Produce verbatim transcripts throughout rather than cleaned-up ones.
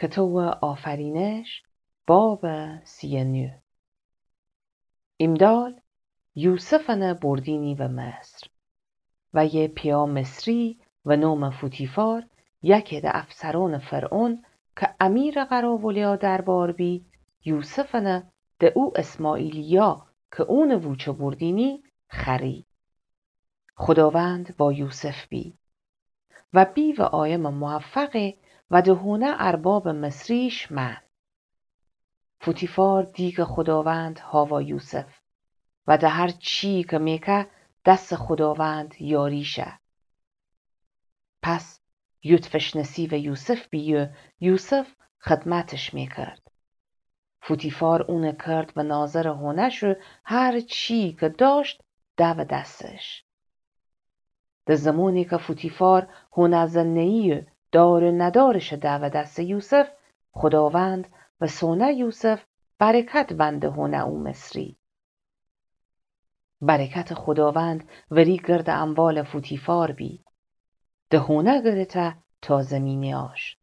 کتاوٚ آفرینش، بابٚ سی و نو. ایمدال یوسفٚنٚ بردینی به مصر. و یه پیا مصری و نومٚ فوتیفار، یکه ده افسرونٚ فرعون، که امیرٚ قراولیا دربار بی، یوسفٚنٚ ده او اسماعیلیا که اونٚ ووچه بردینی، خوأری. خوداوند با یوسف بی. و بی و آیمٚ موفقه و ده هونه اربابٚ مصریش من. فوتیفار دی که خوداوند هاوا یوسف و ده هر چی که میکه دسٚ خوداوند یاری شه. پس یوتفش نصیوٚ یوسف بی و یوسف خدمتش میکرد. فوتیفار اونٚ کرد و ناظرٚ هونه‌ش و هر چی که داشت دو دسش. ده زمانی که فوتیفار هونه زنه‌یی و دار و ندارش دو دسٚ یوسف، خوداوند و سونه یوسف برکت ونده هونه او مصری. برکتٚ خوداوند وری گردٚ اموالٚ فوتیفار بی. ده هونه گرته تا زیمینه‌یاش.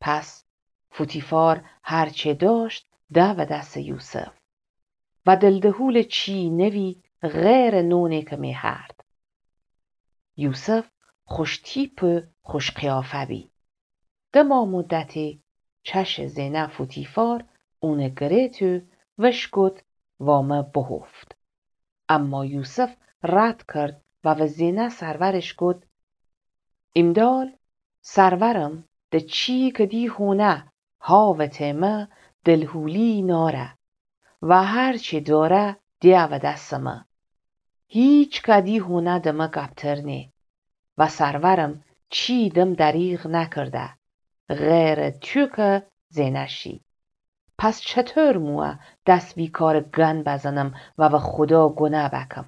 پس فوتیفار هر چه داشت دو دسٚ یوسف و دلدهولٚ چی نوی غیرٚ نونی که میهرد. یوسف خوش تیپ و خوش قیافه بی. ده ماه مدتی چشٚ زینه فوتیفار اونٚ گره‌ت و وش گود وا مه بهفت. اما یوسف رد کرد و و زینه سرورش گود: ایمدال سرورم ده چی که دی هونه هاوته مه دلهولی ناره و هر چی داره دیه و دسٚ مه. هیچ که دی هونه ده مه گبتر نی و سرورم چی دم دریغ نکرده غیرٚ تو که زینه شی. پس چطور مویه دس وی کارٚ گن بزنم و و خودا گونه بکم؟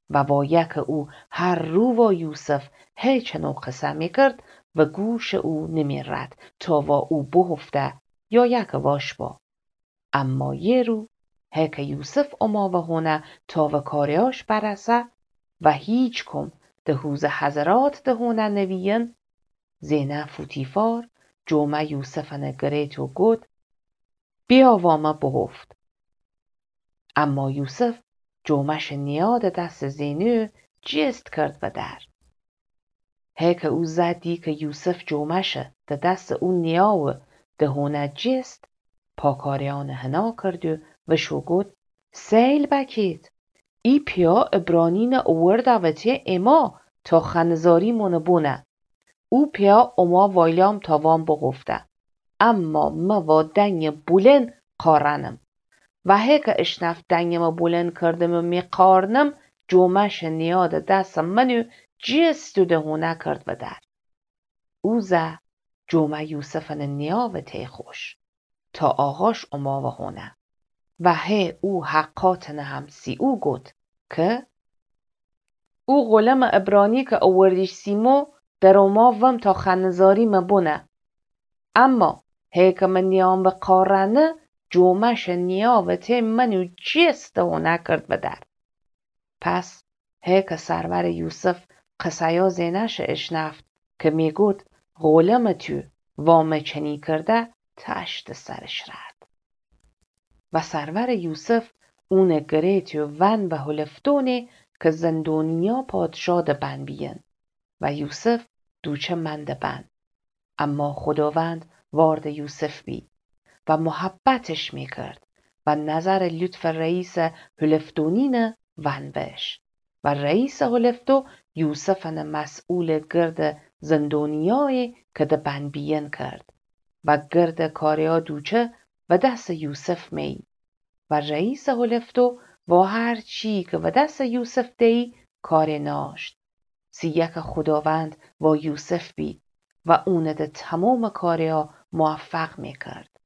و وایه که او هر رو وا یوسف هی چنو قصه میکرد و گوشٚ او نمیرد تا وا او بهفته یا یکه واش با. اما یه رو هی که یوسف اوما و هونه تا و کاره‌یاش برسه و هیچکم ده هوزٚ حضرات ده هونه نویین، زینه فوتیفار جومه یوسفٚنٚ گره‌ت و گود: بیا وا مه بهفت. اما یوسف جومه‌شٚ نیاده دسٚ زینه جیست کرد و در. هی که او زه دی که یوسف جومه‌شه ده دسٚ او نیاوه ده هونه جیست، پاکاره‌یأنٚ حنا کرد و وش و گود: سیل بکید، ای پیا عبرانینٚ اوورده وته اما تا خنه‌زاری مونه بونه. او پیا اوما وایلام تا وام بغفته. اما مه وا دنگٚ بولند قارنم. و هی که اشنفت دنگٚ مه بولند کردم و می قارنم، جومه‌شٚ نیاده دسٚ من و جیست و ده هونه کرد و در. او زه جومه یوسفٚنٚ نیاوه تی خوش تا آقاش اوما و هونه. و هی او حقاتٚنه هم سی او گود که او غلمٚ عبرانی که اووردیش سی مو در اوما وم تا خنه‌زاری مه بونه. اما هی که مه نیام و قارنه، جومه‌شٚ نیاوه تی من و جیست ده هونه کرد و در. پس هی که سرورٚ یوسف قصه‌یا زینه‌شٚ اشنفت که میگود: غلمٚ تو وا مه چنی کرده، تشتٚ سرش رد. و سرورٚ یوسف اونٚ گره‌ت و ون و هلفدونٚ که زندونیا پادشا ده بن بیین. و یوسف دوچه من ده بن. اما خوداوند واردٚ یوسف بی و محبتش میکرد و نظرٚ لطفٚ رئیسٚ هلفدونینٚ ون بش. و رئیسٚ هلفدو یوسفٚنٚ مسئولٚ گردٚ زندونیایی که ده بن بیین کرد و گردٚ کاریا دوچه و دسٚ یوسف می. و رئیسٚ هلفدو وا هر چی که و دسٚ یوسف دیی کاره ناشت. سیه که خوداوند وا یوسف بی و اونٚ ده تومامٚ کاریا موفق میکرد.